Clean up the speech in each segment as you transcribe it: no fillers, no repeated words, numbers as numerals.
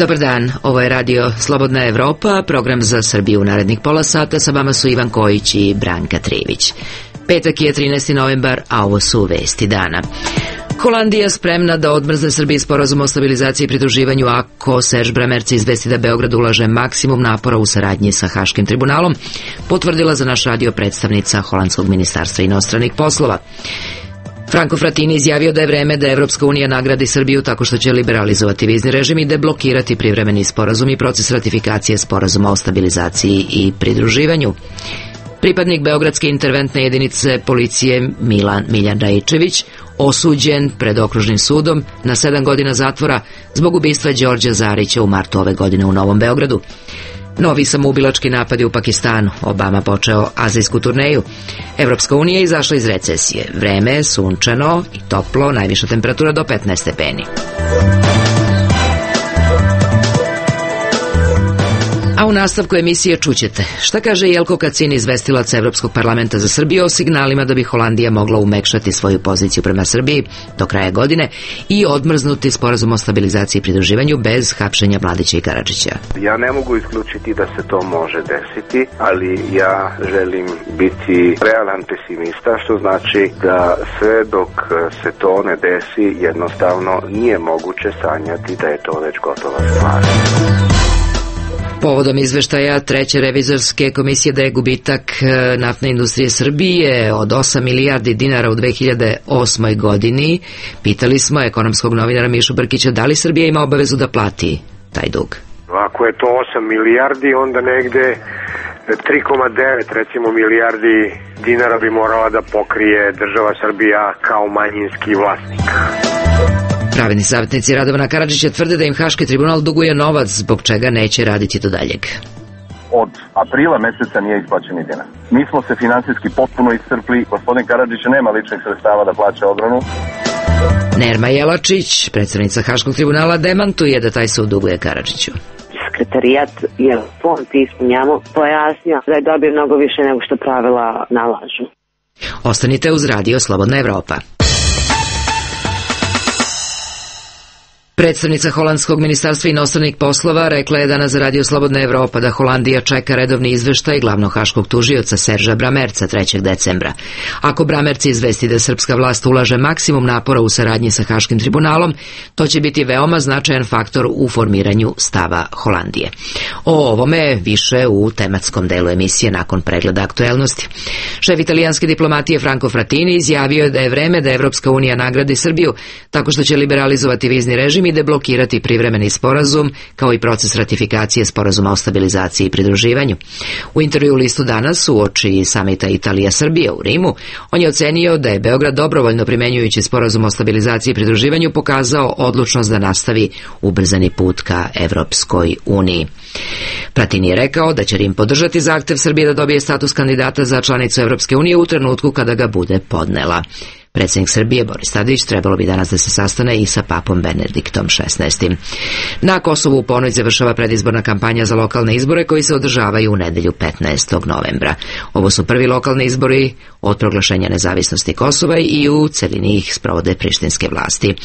Dobar dan, ovo je radio Slobodna Evropa, program za Srbiju u narednih pola sata. Sa vama su Ivan Kojić i Branka Trivić. Petak je 13. novembar, a ovo su vesti dana. Holandija spremna da odmrzne Srbiji sporazum o stabilizaciji i pridruživanju ako Serge Bramertz izvesti da Beograd ulaže maksimum napora u saradnji sa Haškim tribunalom, potvrdila za naš radio predstavnica Holandskog ministarstva inostranih poslova. Franco Frattini izjavio da je vreme da Evropska unija nagradi Srbiju tako što će liberalizovati vizni režim i deblokirati privremeni sporazum i proces ratifikacije sporazuma o stabilizaciji i pridruživanju. Pripadnik Beogradske interventne jedinice policije Miljan Raičević osuđen pred okružnim sudom na 7 godina zatvora zbog ubistva Đorđa Zarića u martu ove godine u Novom Beogradu. Novi samoubilački napadi u Pakistanu. Obama počeo azijsku turneju. Evropska unija je izašla iz recesije. Vreme je sunčano i toplo, najviša temperatura do 15 stepeni. A u nastavku emisije čućete šta kaže Jelko Kacin, izvestilac Evropskog parlamenta za Srbiju, o signalima da bi Holandija mogla umekšati svoju poziciju prema Srbiji do kraja godine i odmrznuti sporazum o stabilizaciji i pridruživanju bez hapšenja Mladića i Karadžića. Ja ne mogu isključiti da se to može desiti, ali ja želim biti realan pesimista, što znači da sve dok se to ne desi, jednostavno nije moguće sanjati da je to već gotova stvar. Povodom izveštaja treće revizorske komisije da je gubitak naftne industrije Srbije od 8 milijardi dinara u 2008. godini, pitali smo ekonomskog novinara Mišu Brkića da li Srbija ima obavezu da plati taj dug. Ako je to 8 milijardi, onda negde 3,9 recimo milijardi dinara bi morala da pokrije država Srbija kao manjinski vlasnik. Pravni savjetnici Radovana Karadžića tvrde da im Haški tribunal duguje novac, zbog čega neće raditi do daljeg. Od aprila meseca nije isplaćen ni dinar. Mi smo se finansijski potpuno iscrpli, gospodin Karadžić nema ličnih sredstava da plaća odbranu. Nerma Jelačić, predstavnica Haškog tribunala, demantuje da taj sud duguje Karadžiću. Sekretarijat je fond ispunjamo pojasnio da je dobio mnogo više nego što pravila nalažu. Ostanite uz radio Slobodna Evropa. Predstavnica Holandskog ministarstva inostranih poslova rekla je danas za radio Slobodna Evropa da Holandija čeka redovni izveštaj glavnog haškog tužioca Serža Bramertza 3. decembra. Ako Bramertz izvesti da srpska vlast ulaže maksimum napora u saradnji sa Haškim tribunalom, to će biti veoma značajan faktor u formiranju stava Holandije. O ovome više u tematskom delu emisije nakon pregleda aktuelnosti. Šef italijanske diplomatije Franco Frattini izjavio je da je vreme da Evropska unija nagradi Srbiju tako što će liberalizovati vizni režim i deblokirati privremeni sporazum, kao i proces ratifikacije sporazuma o stabilizaciji i pridruživanju. U intervju u listu Danas uoči samita Italija-Srbija u Rimu, on je ocenio da je Beograd dobrovoljno primenjujući sporazum o stabilizaciji i pridruživanju pokazao odlučnost da nastavi ubrzani put ka Evropskoj uniji. Frattini je rekao da će Rim podržati zahtev Srbije da dobije status kandidata za članicu Evropske unije u trenutku kada ga bude podnela. Predsjednik Srbije Boris Tadić trebalo bi danas da se sastane i sa papom Benediktom XVI. Na Kosovu u ponoć završava predizborna kampanja za lokalne izbore koji se održavaju u nedelju 15. novembra. Ovo su prvi lokalni izbori od proglašenja nezavisnosti Kosova i u celini ih sprovode prištinske vlasti.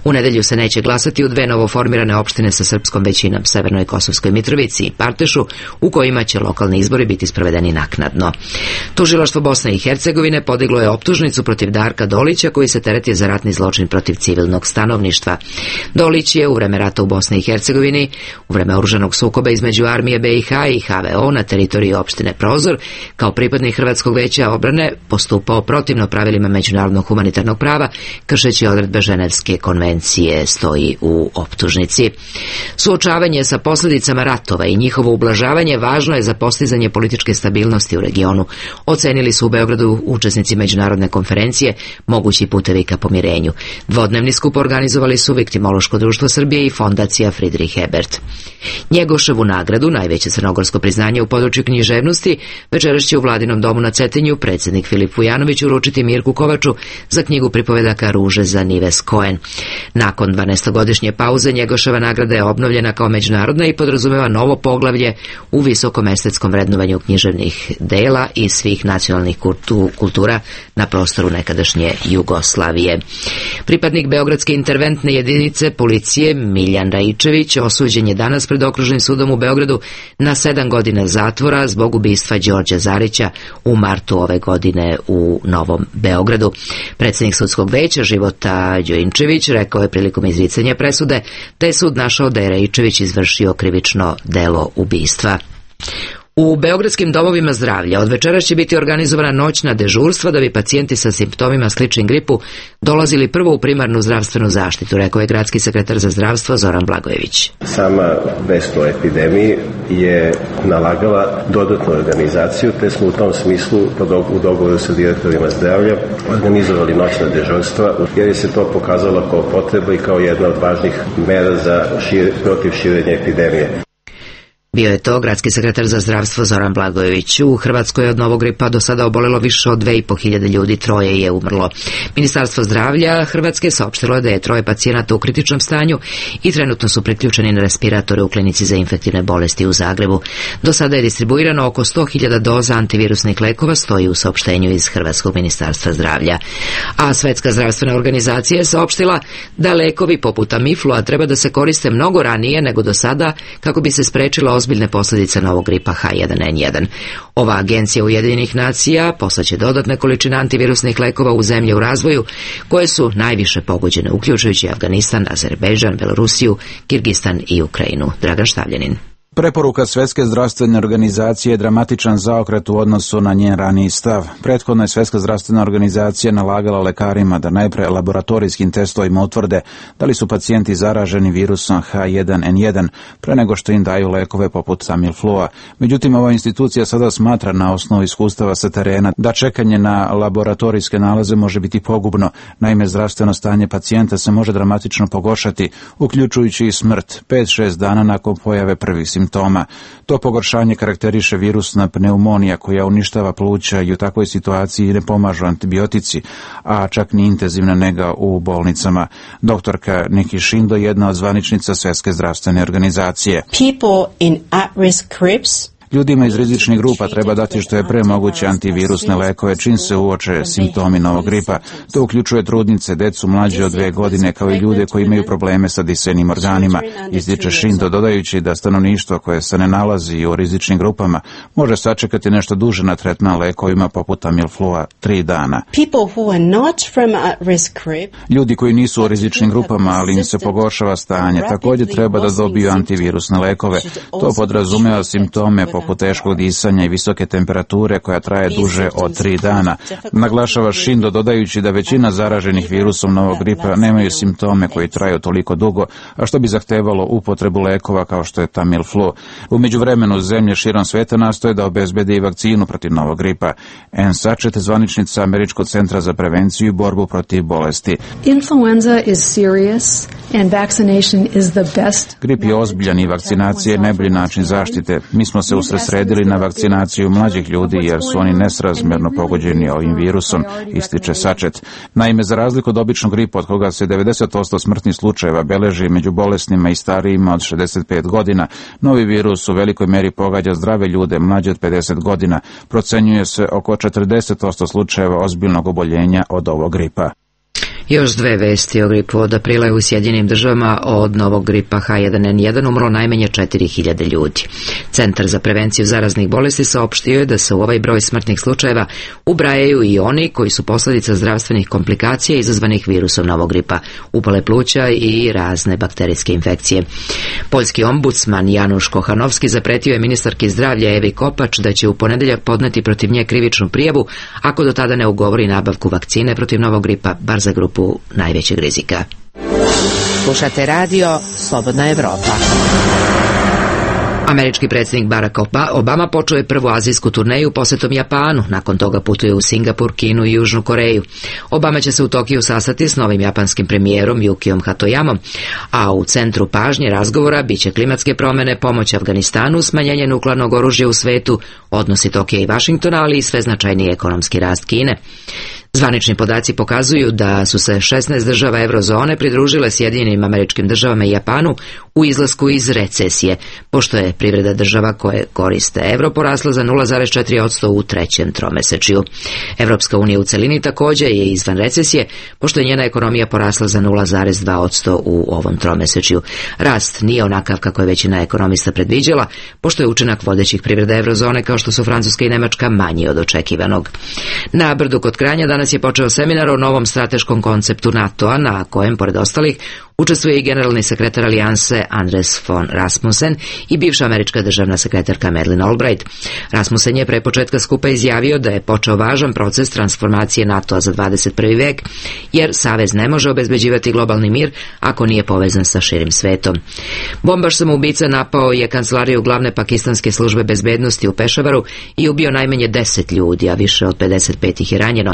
U nedelju se neće glasati u 2 novoformirane opštine sa srpskom većinom, Severnoj Kosovskoj Mitrovici i Partešu, u kojima će lokalni izbori biti sprovedeni naknadno. Tužilaštvo Bosne i Hercegovine podiglo je optužnicu protiv Darka Dolića, koji se tereti za ratni zločin protiv civilnog stanovništva. Dolić je u vreme rata u Bosni i Hercegovini, u vreme oružanog sukoba između armije BiH i HVO na teritoriji opštine Prozor, kao pripadnik Hrvatskog veća obrane postupao protivno pravilima međunarodnog humanitarnog prava, kršeći odredbe Ženevske konvencije, stoji u optužnici. Suočavanje sa posljedicama ratova i njihovo ublažavanje važno je za postizanje političke stabilnosti u regionu, ocenili su u Beogradu učesnici međunarodne konferencije Mogući putevi ka pomirenju. Dvodnevni skup organizovali su Viktimološko društvo Srbije i fondacija Friedrich Ebert. Njegoševu nagradu, najveće crnogorsko priznanje u području književnosti, večeras će u Vladinom domu na Cetinju predsjednik Filip Vujanović uručiti Mirku Kovaču za knjigu pripovedaka Ruže za Nives Cohen. Nakon 12-godišnje pauze Njegoševa nagrada je obnovljena kao međunarodna i podrazumeva novo poglavlje u visokom estetskom vrednovanju književnih dela i svih nacionalnih kultura na prostoru nekadašnje Jugoslavije. Pripadnik Beogradske interventne jedinice policije Miljan Raičević osuđen je danas pred Okružnim sudom u Beogradu na 7 godina zatvora zbog ubistva Đorđa Zarića u martu ove godine u Novom Beogradu. Predsjednik sudskog veća Života Đojinčević rekao je prilikom izricanja presude da je sud našao da je Raičević izvršio krivično delo ubistva. U beogradskim domovima zdravlja od večeras će biti organizovana noćna dežurstva da bi pacijenti sa simptomima sličnim gripu dolazili prvo u primarnu zdravstvenu zaštitu, rekao je gradski sekretar za zdravstvo Zoran Blagojević. Sama vest o epidemiji je nalagala dodatnu organizaciju, te smo u tom smislu u dogovoru sa direktorima zdravlja organizovali noćna dežurstva, jer je se to pokazalo kao potreba i kao jedna od važnih mera protiv širenja epidemije. Bio je to gradski sekretar za zdravstvo Zoran Blagojević. U Hrvatskoj je od novog gripa do sada obolelo više od 2.500 ljudi, 3 je umrlo. Ministarstvo zdravlja Hrvatske saopštilo je da je 3 pacijenata u kritičnom stanju i trenutno su priključeni na respiratore u klinici za infektivne bolesti u Zagrebu. Do sada je distribuirano oko 100.000 doza antivirusnih lekova, stoji u saopštenju iz Hrvatskog ministarstva zdravlja. A Svetska zdravstvena organizacija je saopštila da lekovi poput Tamiflua treba da se koriste mnogo ranije nego do sada kako bi se sprečila ozbiljne posljedice novog gripa H1N1. Ova agencija Ujedinjenih nacija poslaće dodatne količine antivirusnih lekova u zemlje u razvoju koje su najviše pogođene, uključujući Afganistan, Azerbejdžan, Belorusiju, Kirgistan i Ukrajinu. Dragan Štavljanin. Preporuka Svjetske zdravstvene organizacije je dramatičan zaokret u odnosu na njen raniji stav. Prethodno je Svjetska zdravstvena organizacija nalagala lekarima da najpre laboratorijskim testovima utvrde da li su pacijenti zaraženi virusom H1N1 pre nego što im daju lekove poput Tamiflua. Međutim, ova institucija sada smatra na osnovu iskustava sa terena da čekanje na laboratorijske nalaze može biti pogubno. Naime, zdravstveno stanje pacijenta se može dramatično pogoršati, uključujući i smrt 5-6 dana nakon pojave prvih simptoma. To pogoršanje karakteriše virusna pneumonija koja uništava pluća i u takvoj situaciji ne pomažu antibiotici, a čak ni intenzivna nega u bolnicama. Doktorka Nikki Shindo, jedna od zvaničnica Svjetske zdravstvene organizacije. People in at-risk groups Ljudima iz rizičnih grupa treba dati što je pre moguće antivirusne lekove čim se uoče simptomi novog gripa. To uključuje trudnice, decu mlađe od 2 godine, kao i ljude koji imaju probleme sa disajnim organima, ističe Shindo, dodajući da stanovništvo koje se ne nalazi u rizičnim grupama može sačekati nešto duže na tretman lekovima poput Tamiflua 3 dana. Ljudi koji nisu u rizičnim grupama, ali im se pogoršava stanje, također treba da dobiju antivirusne lekove. To podrazumeva simptome poput teškog disanja i visoke temperature koja traje duže od 3 dana. Naglašava Shindo, dodajući da većina zaraženih virusom novog gripa nemaju simptome koji traju toliko dugo, a što bi zahtevalo upotrebu lekova kao što je Tamiflu. U međuvremenu zemlje širom sveta nastoje da obezbede i vakcinu protiv novog gripa. Ann Sachet, zvaničnica Američkog centra za prevenciju i borbu protiv bolesti. Influenza is serious and vaccination is the best. Grip je ozbiljan i vakcinacija je najbolji način zaštite. Mi smo se usredsredili na vakcinaciju mlađih ljudi jer su oni nesrazmjerno pogođeni ovim virusom, ističe Sachet. Naime, za razliku od običnog gripa od koga se 90% smrtnih slučajeva beleži među bolesnima i starijima od 65 godina, novi virus u velikoj meri pogađa zdrave ljude mlađe od 50 godina. Procenjuje se oko 40% slučajeva ozbiljnog oboljenja od ovog gripa. Još 2 vesti o gripu. Od aprila je u Sjedinjenim državama od novog gripa H1N1 umrlo najmanje 4.000 ljudi. Centar za prevenciju zaraznih bolesti saopštio je da se u ovaj broj smrtnih slučajeva ubrajaju i oni koji su posljedica zdravstvenih komplikacija izazvanih virusom novog gripa, upale pluća i razne bakterijske infekcije. Poljski ombudsman Januš Kochanovski zapretio je ministarki zdravlja Evi Kopač da će u ponedjeljak podneti protiv nje krivičnu prijavu ako do tada ne ugovori nabavku vakcine protiv novog gripa, bar za grupu najvećeg rizika. Slušate radio Slobodna Evropa. Američki predsjednik Barack Obama počeo je prvu azijsku turneju posetom Japanu, nakon toga putuje u Singapur, Kinu i Južnu Koreju. Obama će se u Tokiju sastati s novim japanskim premijerom Yukijom Hatoyamom, a u centru pažnje razgovora biće klimatske promjene, pomoć Afganistanu, smanjenje nuklearnog oružja u svetu, odnosi Tokija i Vašingtona, ali i sve značajniji ekonomski rast Kine. Zvanični podaci pokazuju da su se 16 država eurozone pridružile Sjedinjenim Američkim Državama i Japanu u izlasku iz recesije, pošto je privreda država koje koriste evro porasla za 0,4% u trećem tromesečju. Evropska unija u celini također je izvan recesije, pošto je njena ekonomija porasla za 0,2% u ovom tromesečju. Rast nije onakav kako je većina ekonomista predviđala, pošto je učinak vodećih privreda eurozone kao što su Francuska i Nemačka manji od očekivanog. Na Brdu kod Kranja danas je počeo seminar o novom strateškom konceptu NATO-a, na kojem, pored ostalih, učestvuje i generalni sekretar alijanse Anders von Rasmussen i bivša američka državna sekretarka Madeleine Albright. Rasmussen je pre početka skupa izjavio da je počeo važan proces transformacije NATO-a za 21. vek, jer savez ne može obezbeđivati globalni mir ako nije povezan sa širim svetom. Bombaš samoubica napao je kancelariju glavne pakistanske službe bezbednosti u Pešavaru i ubio najmanje 10 ljudi, a više od 55 ih je ranjeno.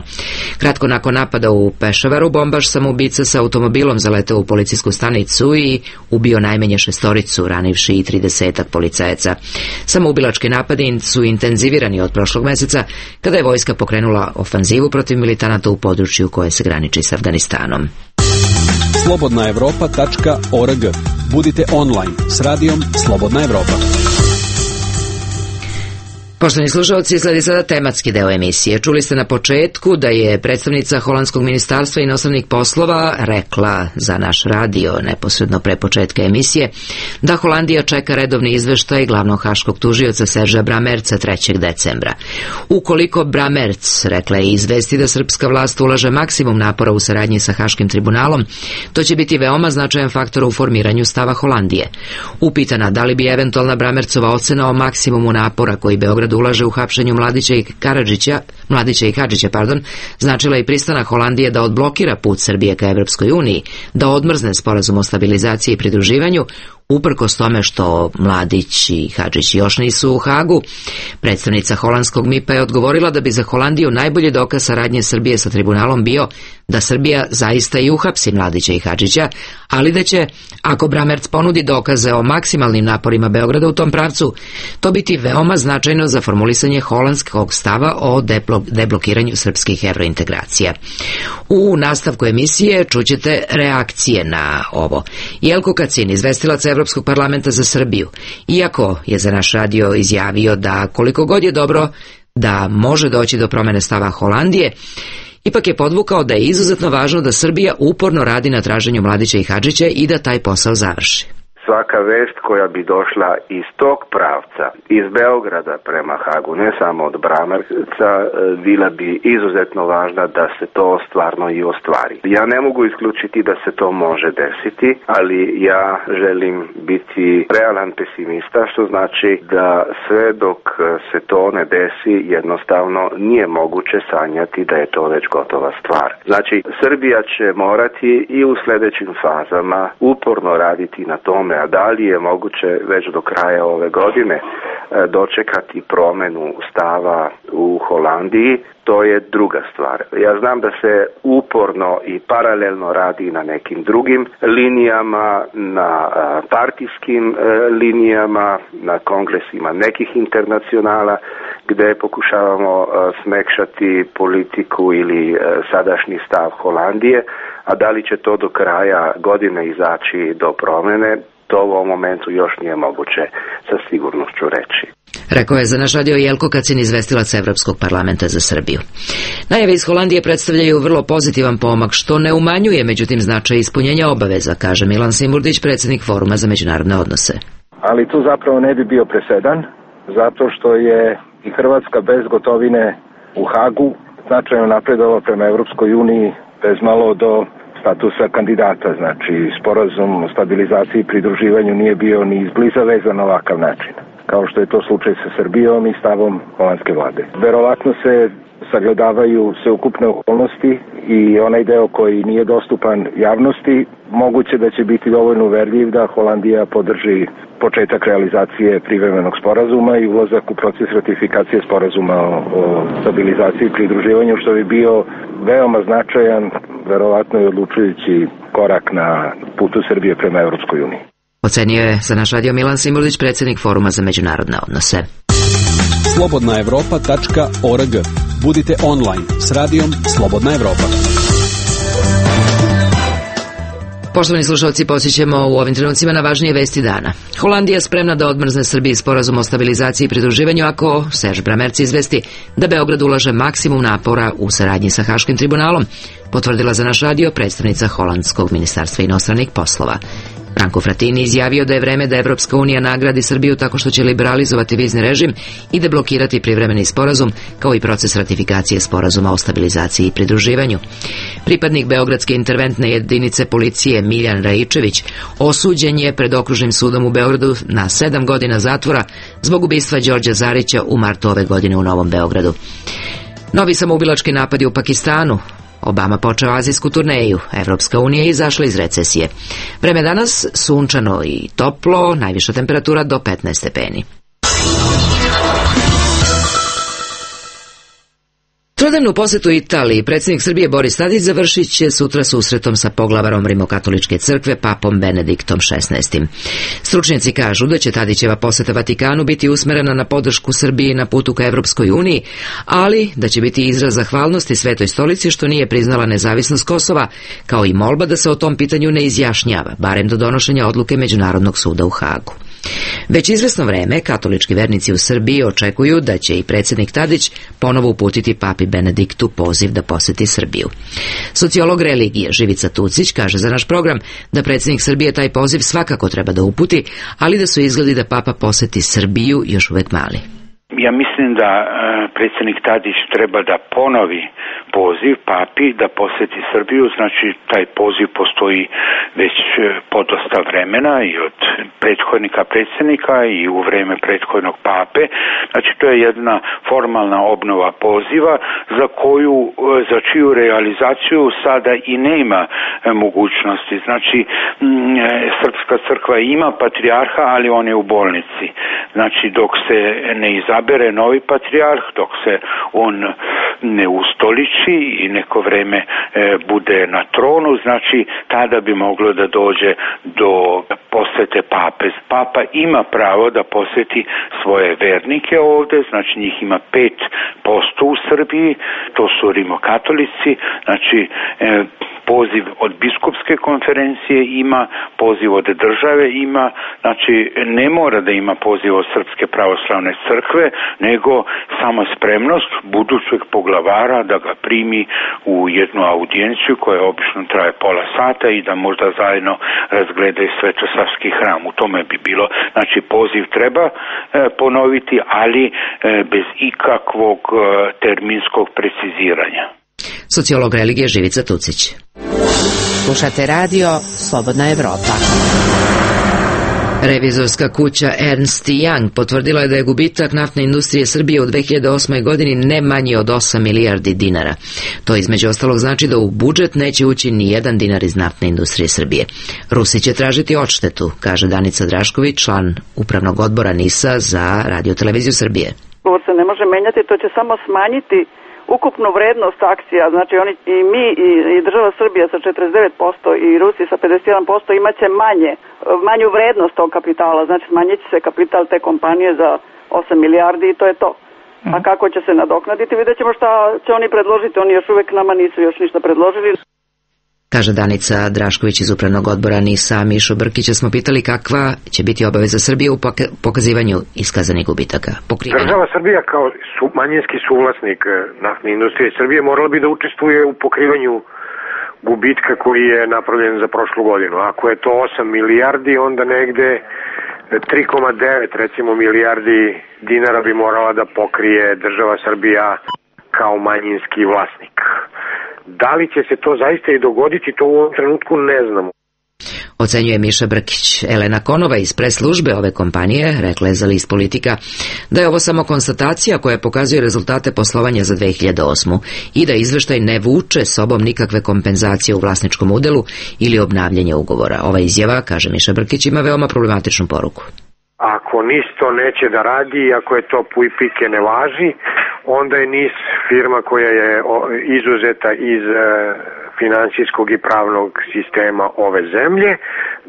Kratko nakon napada u Pešavaru, bombaš samoubica sa automobilom zaletao u policijsku stanicu i ubio najmanje 6, ranivši i 30 policajaca. Samoubilački napadi su intenzivirani od prošlog meseca, kada je vojska pokrenula ofanzivu protiv militanata u području koje se graniči s Afganistanom. slobodnaevropa.org. Budite online s radijom Slobodna Evropa. Poštovani slušalci, sledi sada tematski deo emisije. Čuli ste na početku da je predstavnica Holandskog ministarstva inostranih poslova rekla za naš radio neposredno pre početka emisije da Holandija čeka redovni izveštaj glavnog haškog tužioca Serža Bramerca 3. decembra. Ukoliko Bramerc, rekla je, izvesti da srpska vlast ulaže maksimum napora u saradnji sa Haškim tribunalom, to će biti veoma značajan faktor u formiranju stava Holandije. Upitana da li bi eventualna Bramercova ocena o maksimumu napora koji Beograd ulaže u hapšenju Mladića i Hadžića, značila i pristanak Holandije da odblokira put Srbije ka Evropskoj uniji, da odmrzne sporazum o stabilizaciji i pridruživanju, uprkos tome što Mladić i Hadžić još nisu u Hagu. Predstavnica holandskog MIP-a je odgovorila da bi za Holandiju najbolji dokaz saradnje Srbije sa tribunalom bio da Srbija zaista i uhapsi Mladića i Hadžića, ali da će, ako Bramerc ponudi dokaze o maksimalnim naporima Beograda u tom pravcu, to biti veoma značajno za formulisanje holandskog stava o deblokiranju srpskih evrointegracija. U nastavku emisije čućete reakcije na ovo. Jelko Kacin, izvestilac Evropskog parlamenta za Srbiju, iako je za naš radio izjavio da koliko god je dobro da može doći do promene stava Holandije, ipak je podvukao da je izuzetno važno da Srbija uporno radi na traženju Mladića i Hadžića i da taj posao završi. Svaka vest koja bi došla iz tog pravca, iz Beograda prema Hagu, ne samo od Bramerca, bila bi izuzetno važna da se to stvarno i ostvari. Ja ne mogu isključiti da se to može desiti, ali ja želim biti realan pesimista, što znači da sve dok se to ne desi, jednostavno nije moguće sanjati da je to već gotova stvar. Znači, Srbija će morati i u sljedećim fazama uporno raditi na tome, a da li je moguće već do kraja ove godine dočekati promjenu stava u Holandiji, to je druga stvar. Ja znam da se uporno i paralelno radi na nekim drugim linijama, na partijskim linijama, na kongresima nekih internacionala, gdje pokušavamo smekšati politiku ili sadašnji stav Holandije, a da li će to do kraja godine izaći do promjene, to u ovom momentu još nije moguće sa sigurnošću reći. Rekao je za naš radio Jelko Kacin, izvestilac Evropskog parlamenta za Srbiju. Najave iz Holandije predstavljaju vrlo pozitivan pomak, što ne umanjuje međutim značaj ispunjenja obaveza, kaže Milan Simurdić, predsjednik Foruma za međunarodne odnose. Ali tu zapravo ne bi bio presedan, zato što je i Hrvatska bez gotovine u Hagu značajno napredovala prema Evropskoj uniji bez malo do statusa kandidata, znači sporazum o stabilizaciji i pridruživanju nije bio ni izbliza vezan na ovakav način, kao što je to slučaj sa Srbijom i stavom holandske vlade. Verovatno se sagledavaju sveukupne okolnosti i onaj deo koji nije dostupan javnosti, moguće da će biti dovoljno uverljiv da Holandija podrži početak realizacije privremenog sporazuma i ulazak u proces ratifikacije sporazuma o stabilizaciji i pridruživanju, što bi bio veoma značajan, verovatno i odlučujući korak na putu Srbije prema Evropskoj uniji. Ocenio je za naš radio Milan Simulić, predsjednik Foruma za međunarodne odnose. slobodnaevropa.org. Budite online s radijom Slobodna Evropa. Poštovani slušalci, posjećamo u ovim trenucima na važnije vesti dana. Holandija spremna da odmrzne Srbiji sporazum o stabilizaciji i pridruživanju ako Serge Bramertz izvesti da Beograd ulaže maksimum napora u saradnji sa Haškim tribunalom, potvrdila za naš radio predstavnica Holandskog ministarstva inostranih poslova. Branko Fratini izjavio da je vreme da Evropska unija nagradi Srbiju tako što će liberalizovati vizni režim i deblokirati privremeni sporazum, kao i proces ratifikacije sporazuma o stabilizaciji i pridruživanju. Pripadnik Beogradske interventne jedinice policije Miljan Raičević osuđen je pred okružnim sudom u Beogradu na 7 godina zatvora zbog ubistva Đorđa Zarića u martu ove godine u Novom Beogradu. Novi samoubilački napadi u Pakistanu. Obama počeo azijsku turneju, Evropska unija izašla iz recesije. Vreme danas sunčano i toplo, najviša temperatura do 15 stepeni. Trodnevnu posetu Italiji predsjednik Srbije Boris Tadić završit će sutra susretom sa poglavarom Rimokatoličke crkve papom Benediktom XVI. Stručnjaci kažu da će Tadićeva poseta Vatikanu biti usmerena na podršku Srbiji na putu ka Evropskoj uniji, ali da će biti izraz zahvalnosti Svetoj stolici što nije priznala nezavisnost Kosova, kao i molba da se o tom pitanju ne izjašnjava, barem do donošenja odluke Međunarodnog suda u Hagu. Već izvesno vreme katolički vernici u Srbiji očekuju da će i predsjednik Tadić ponovo uputiti papi Benediktu poziv da poseti Srbiju. Sociolog religije Živica Tucić kaže za naš program da predsjednik Srbije taj poziv svakako treba da uputi, ali da su izgledi da papa poseti Srbiju još uvek mali. Ja mislim da predsjednik Tadić treba da ponovi poziv papi da poseti Srbiju, znači taj poziv postoji već podosta vremena i od prethodnika predsjednika i u vreme prethodnog pape, znači to je jedna formalna obnova poziva za čiju realizaciju sada i nema mogućnosti. Znači Srpska crkva ima patrijarha, ali on je u bolnici. Znači dok se ne izabere novi patrijarh, dok se on ne ustoliči i neko vreme bude na tronu, znači tada bi moglo da dođe do posete pape. Papa ima pravo da poseti svoje vernike ovde, znači njih ima 5% u Srbiji, to su rimokatolici, znači poziv od biskupske konferencije ima, poziv od države ima, znači ne mora da ima poziv od Srpske pravoslavne crkve, nego samo spremnost budućeg poglavara da ga primi u jednu audijenciju koja obično traje pola sata i da možda zajedno razgledaju Svetosavski hram. U tome bi bilo, znači poziv treba ponoviti, ali bez ikakvog terminskog preciziranja. Sociolog religije Živica Tucić. Slušate radio Slobodna Evropa. Revizorska kuća Ernst & Young potvrdila je da je gubitak naftne industrije Srbije u 2008. godini ne manji od 8 milijardi dinara. To između ostalog znači da u budžet neće ući ni jedan dinar iz naftne industrije Srbije. Rusi će tražiti odštetu, kaže Danica Drašković, član upravnog odbora NIS-a za Radio-televiziju Srbije. Ovo se ne može menjati, to će samo smanjiti ukupnu vrednost akcija, znači oni i mi i država Srbija sa 49% i Rusi sa 51% imaće manju vrednost tog kapitala, znači smanjit će se kapital te kompanije za 8 milijardi i to je to. A kako će se nadoknaditi, vidjet ćemo šta će oni predložiti, oni još uvek nama nisu još ništa predložili. Kaže Danica Drašković iz upravnog odbora NIS-a. Mišu Brkića smo pitali kakva će biti obaveza Srbije u pokazivanju iskazanih gubitaka. Država Srbija kao manjinski suvlasnik naftne industrije Srbije morala bi da učestvuje u pokrivanju gubitka koji je napravljen za prošlu godinu. Ako je to 8 milijardi, onda negde 3,9 recimo milijardi dinara bi morala da pokrije država Srbija kao manjinski vlasnik. Da li će se to zaista i dogoditi, to u ovom trenutku ne znamo. Ocenjuje Miša Brkić. Elena Konova iz pres službe ove kompanije rekla je za list Politika da je ovo samo konstatacija koja pokazuje rezultate poslovanja za 2008. i da izveštaj ne vuče sobom nikakve kompenzacije u vlasničkom udelu ili obnavljanje ugovora. Ova izjava, kaže Miša Brkić, ima veoma problematičnu poruku. Ako NIS to neće da radi i ako je to puj pike ne važi, onda je NIS firma koja je izuzeta iz finansijskog i pravnog sistema ove zemlje.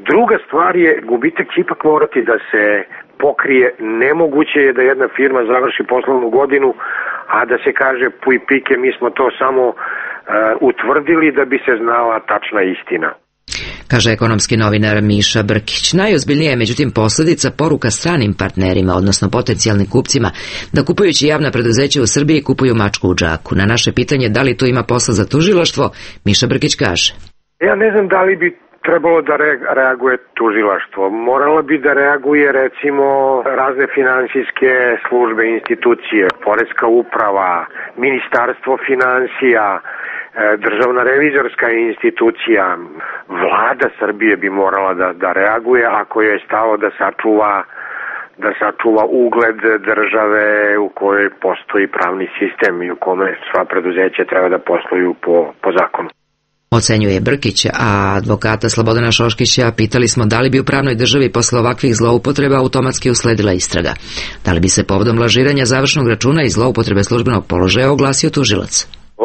Druga stvar je, gubitak će ipak morati da se pokrije. Nemoguće je da jedna firma završi poslovnu godinu, a da se kaže puj pike, mi smo to samo utvrdili da bi se znala tačna istina. Kaže ekonomski novinar Miša Brkić. Najozbiljnija je međutim posljedica poruka stranim partnerima, odnosno potencijalnim kupcima, da kupujući javna preduzeća u Srbiji kupuju mačku u džaku. Na naše pitanje da li tu ima posla za tužilaštvo, Miša Brkić kaže: Ja ne znam da li bi trebalo da reaguje tužilaštvo. Morala bi da reaguje recimo razne finansijske službe, institucije, poreska uprava, ministarstvo finansija, državna revizorska institucija, vlada Srbije bi morala da reaguje ako je stalo da sačuva ugled države u kojoj postoji pravni sistem i u kome sva preduzeća treba da posluju po zakonu. Ocenjuje Brkić, a advokata Slobodana Šoškića pitali smo da li bi u pravnoj državi posle ovakvih zloupotreba automatski usledila istraga. Da li bi se povodom lažiranja završnog računa i zloupotrebe službenog položaja oglasio tužilac?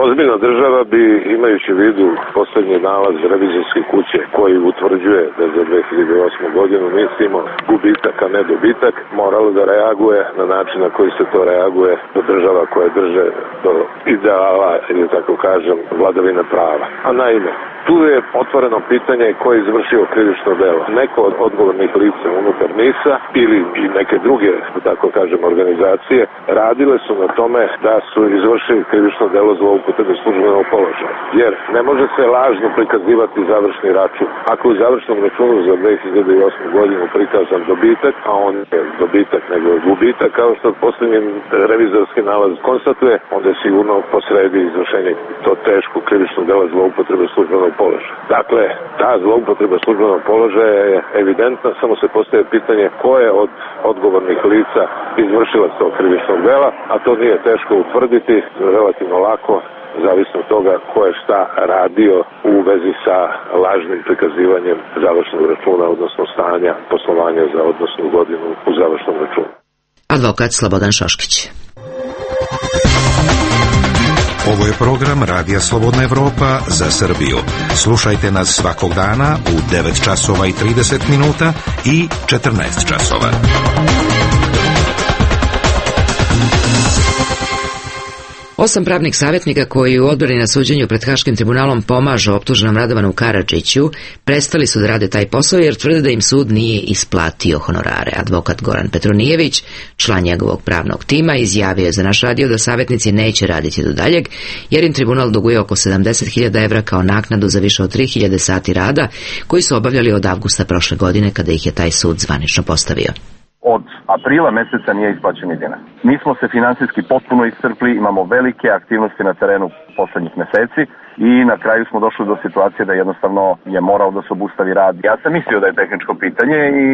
Ozbiljna država bi, imajući u vidu poslednji nalaz revizorske kuće koji utvrđuje da za 2008. godinu mislimo gubitak, a ne dobitak, moralo da reaguje na način na koji se to reaguje do država koje drže do ideala, ili tako kažem, vladavine prava. A naime, tu je otvoreno pitanje ko je izvršio krivično delo. Neko od odgovornih lica unutar NIS-a ili i neke druge, tako kažem, organizacije radile su na tome da su izvršili krivično delo zloupotrebe službenog položaja. Jer ne može se lažno prikazivati završni račun. Ako u završnom računu za 2008. godinu prikazan dobitak, a on je dobitak nego je gubitak, kao što posljednji revizorski nalaz konstatuje, onda je sigurno posredi izvršenje to teško krivično delo zloupotrebe službenog položaja. Dakle, ta zloupotreba službenog položaja je evidentna, samo se postaje pitanje ko je od odgovornih lica izvršila tog krivičnog dela, a to nije teško utvrditi, relativno lako, zavisno od toga ko je šta radio u vezi sa lažnim prikazivanjem završnog računa, odnosno stanja poslovanja za odnosnu godinu u završnom računu. Advokat Slobodan Šoškić. Ovo je program Radija Slobodna Evropa za Srbiju. Slušajte nas svakog dana u 9 časova i 30 minuta i 14 časova. Osam pravnih savjetnika koji u odbrani na suđenju pred Haškim tribunalom pomažu optuženom Radovanu Karadžiću prestali su da rade taj posao jer tvrde da im sud nije isplatio honorare. Advokat Goran Petronijević, član njegovog pravnog tima, izjavio je za naš radio da savjetnici neće raditi do daljeg jer im tribunal duguje oko 70.000 evra kao naknadu za više od 3.000 sati rada koji su obavljali od avgusta prošle godine kada ih je taj sud zvanično postavio. Od aprila meseca nije isplaćen ni dinar. Mi smo se finansijski potpuno iscrpli, imamo velike aktivnosti na terenu poslednjih meseci i na kraju smo došli do situacije da jednostavno je morao da se obustavi rad. Ja sam mislio da je tehničko pitanje i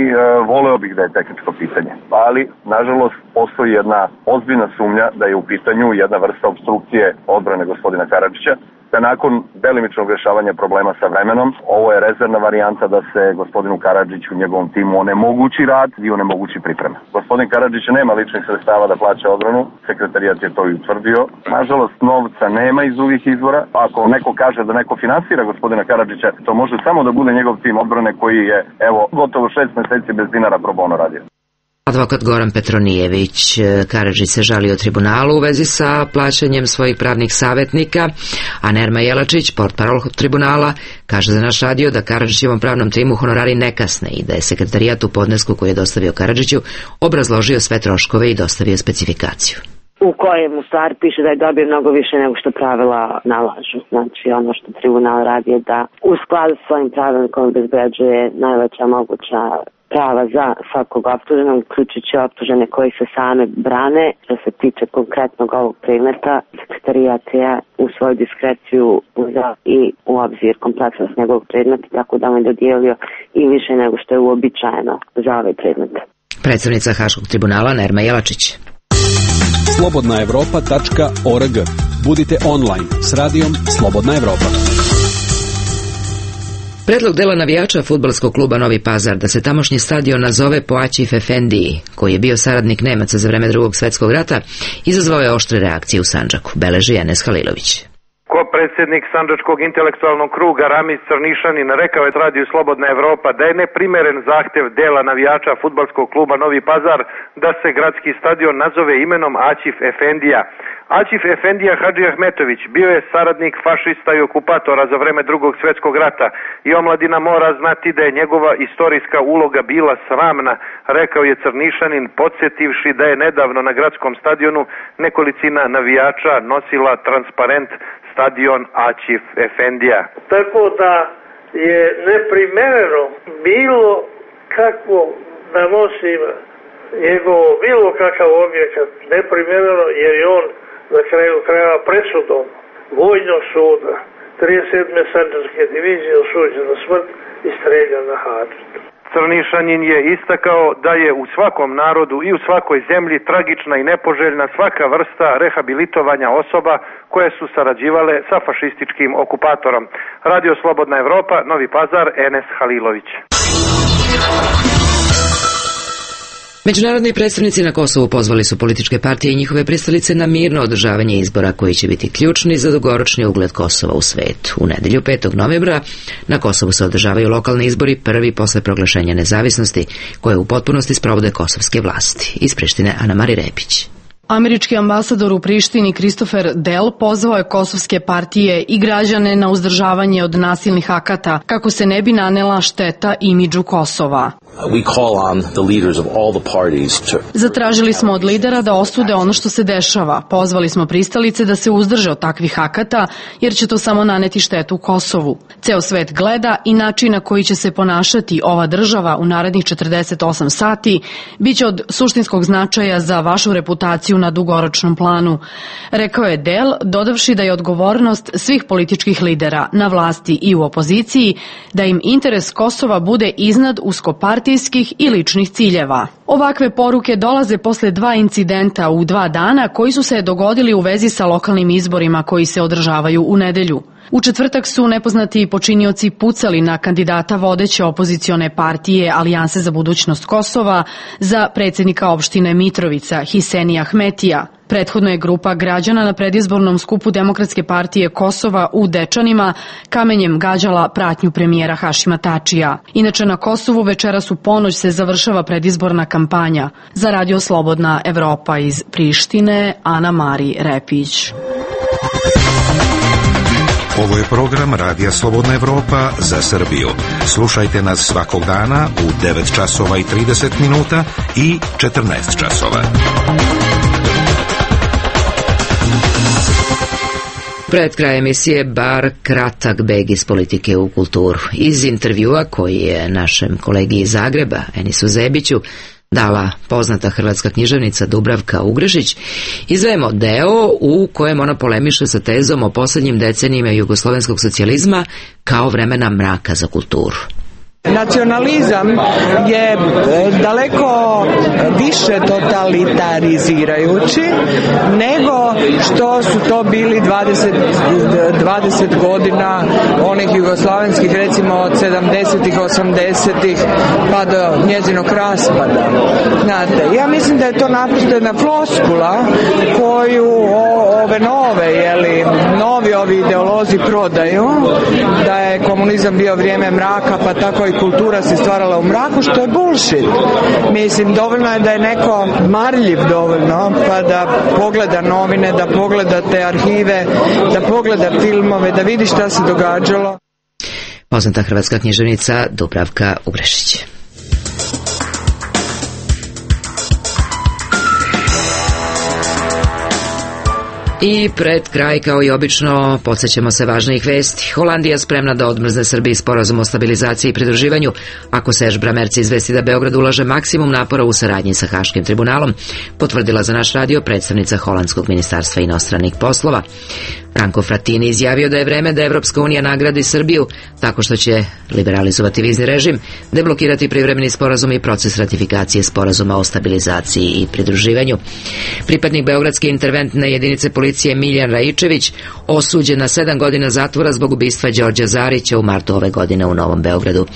voleo bih da je tehničko pitanje. Ali, nažalost, postoji jedna ozbiljna sumnja da je u pitanju jedna vrsta obstrukcije odbrane gospodina Karadžića, da nakon delimičnog rešavanja problema sa vremenom, ovo je rezervna varijanta da se gospodinu Karadžiću u njegovom timu onemogući rad i onemogući priprema. Gospodin Karadžić nema ličnih sredstava da plaća odbranu, sekretarijat je to i utvrdio. Nažalost, novca nema iz drugih izvora. Ako neko kaže da neko finansira gospodina Karadžića, to može samo da bude njegov tim odbrane koji je, evo, gotovo 6 meseci bez dinara pro bono radio. Advokat Goran Petronijević. Karadžić se žalio tribunalu u vezi sa plaćanjem svojih pravnih savjetnika, a Nerma Jelačić, portparol tribunala, kaže za naš radio da Karadžićevom pravnom timu honorari ne kasne i da je sekretarijat u podnesku koji je dostavio Karadžiću obrazložio sve troškove i dostavio specifikaciju. U kojem u stvari piše da je dobio mnogo više nego što pravila nalažu. Znači ono što tribunal radi je da u skladu s svojim pravilnikom obezbeđuje najveća moguća prava za svakog optuženog, uključujući optužene koji se same brane. Što se tiče konkretnog ovog predmeta, sekretarijat je u svoju diskreciju uzeo i u obzir kompleksnost njegovog predmeta, tako da mu je dodijelio i više nego što je uobičajeno za ovaj predmet. Predstavnica Haškog tribunala Nerma Jelačić. slobodnaevropa.org. Budite online s radijom Slobodna Evropa. Predlog dela navijača fudbalskog kluba Novi Pazar da se tamošnji stadion nazove po Aćif Efendiji, koji je bio saradnik Nemaca za vreme Drugog svjetskog rata, izazvao je oštre reakcije u Sandžaku, beleži Enes Halilović. Predsjednik Sandžačkog intelektualnog kruga Ramiz Crnišanin rekao je radiju Slobodna Evropa da je neprimeren zahtjev dela navijača fudbalskog kluba Novi Pazar da se gradski stadion nazove imenom Aćif Efendija. Aćif Efendija Hadži Ahmetović bio je saradnik fašista i okupatora za vreme Drugog svjetskog rata i omladina mora znati da je njegova istorijska uloga bila sramna, rekao je Crnišanin, podsjetivši da je nedavno na gradskom stadionu nekolicina navijača nosila transparent stadion Aćif Efendija. Tako da je neprimereno bilo kakvo da nosim njegovo bilo kakav objekat, neprimereno jer je on na kraju krajeva presudom vojnog suda 37. Sandžačke divizije osuđen na smrt i streljan na Hadžitu. Crnišanin je istakao da je u svakom narodu i u svakoj zemlji tragična i nepoželjna svaka vrsta rehabilitovanja osoba koje su sarađivale sa fašističkim okupatorom. Radio Slobodna Evropa, Novi Pazar, Enes Halilović. Međunarodni predstavnici na Kosovu pozvali su političke partije i njihove pristalice na mirno održavanje izbora koji će biti ključni za dugoročni ugled Kosova u svetu. U nedelju 5. novembra na Kosovu se održavaju lokalni izbori, prvi posle proglašenja nezavisnosti, koje u potpunosti sprovode kosovske vlasti. Iz Prištine Ana Mari Repić. Američki ambasador u Prištini Christopher Dell pozvao je kosovske partije i građane na uzdržavanje od nasilnih akata kako se ne bi nanela šteta imidžu Kosova. Zatražili smo od lidera da osude ono što se dešava. Pozvali smo pristalice da se uzdrže od takvih akata jer će to samo naneti štetu Kosovu. Ceo svet gleda i način na koji će se ponašati ova država u narednih 48 sati biće od suštinskog značaja za vašu reputaciju na dugoročnom planu, rekao je Dell, dodavši da je odgovornost svih političkih lidera na vlasti i u opoziciji da im interes Kosova bude iznad uskopartijskih i ličnih ciljeva. Ovakve poruke dolaze posle 2 incidenta u 2 dana koji su se dogodili u vezi sa lokalnim izborima koji se održavaju u nedelju. U četvrtak su nepoznati počinioci pucali na kandidata vodeće opozicione partije Alijanse za budućnost Kosova za predsjednika opštine Mitrovica Hisenija Ahmetija. Prethodno je grupa građana na predizbornom skupu Demokratske partije Kosova u Dečanima kamenjem gađala pratnju premijera Hašima Tačija. Inače na Kosovu večeras u ponoć se završava predizborna kampanja. Za Radio Slobodna Evropa iz Prištine, Ana Mari Repić. Ovo je program Radija Slobodna Evropa za Srbiju. Slušajte nas svakog dana u 9 časova i 30 minuta i 14 časova. Pred kraj emisije bar kratak beg iz politike u kulturu. Iz intervjua koji je našem kolegi iz Zagreba, Enisu Zebiću, dala poznata hrvatska književnica Dubravka Ugrešić, izdvajamo deo u kojem ona polemiše sa tezom o posljednjim decenijima jugoslovenskog socijalizma kao vremena mraka za kulturu. Nacionalizam je daleko više totalitarizirajući nego što su to bili 20 godina onih jugoslavenskih, recimo od 70-ih, 80-ih pa do njezinog raspada. Znate, ja mislim da je to naprosto jedna floskula koju ove nove, novi ovi ideolozi prodaju, da je komunizam bio vrijeme mraka, pa tako i kultura se stvarala u mraku, što je bullshit. Mislim, dovoljno je da je neko marljiv dovoljno, pa da pogleda novine, da pogleda te arhive, da pogleda filmove, da vidi šta se događalo. Poznata hrvatska književnica Dubravka Ugrešić. I pred kraj, kao i obično, podsjećamo se važnijih vesti. Holandija spremna da odmrzne Srbiji sporazum o stabilizaciji i pridruživanju ako Serge Bramertz izvesti da Beograd ulaže maksimum napora u saradnji sa Haškim tribunalom, potvrdila za naš radio predstavnica Holandskog ministarstva inostranih poslova. Franco Frattini izjavio da je vreme da Evropska unija nagradi Srbiju tako što će liberalizovati vizni režim, deblokirati privremeni sporazum i proces ratifikacije sporazuma o stabilizaciji i pridruživanju. Pripadnik Beogradske interventne jedinice policije Miljan Raičević osuđen na 7 godina zatvora zbog ubistva Đorđa Zarića u martu ove godine u Novom Beogradu.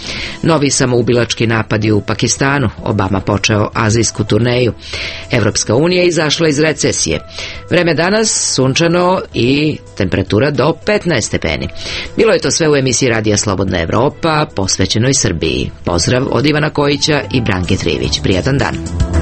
Novi samoubilački napadi u Pakistanu. Obama počeo azijsku turneju. Evropska unija izašla iz recesije. Vreme danas sunčano i temperatura do 15 stepeni. Bilo je to sve u emisiji Radija Slobodna Evropa, posvećenoj Srbiji. Pozdrav od Ivana Kojića i Branke Trivić. Prijatan dan.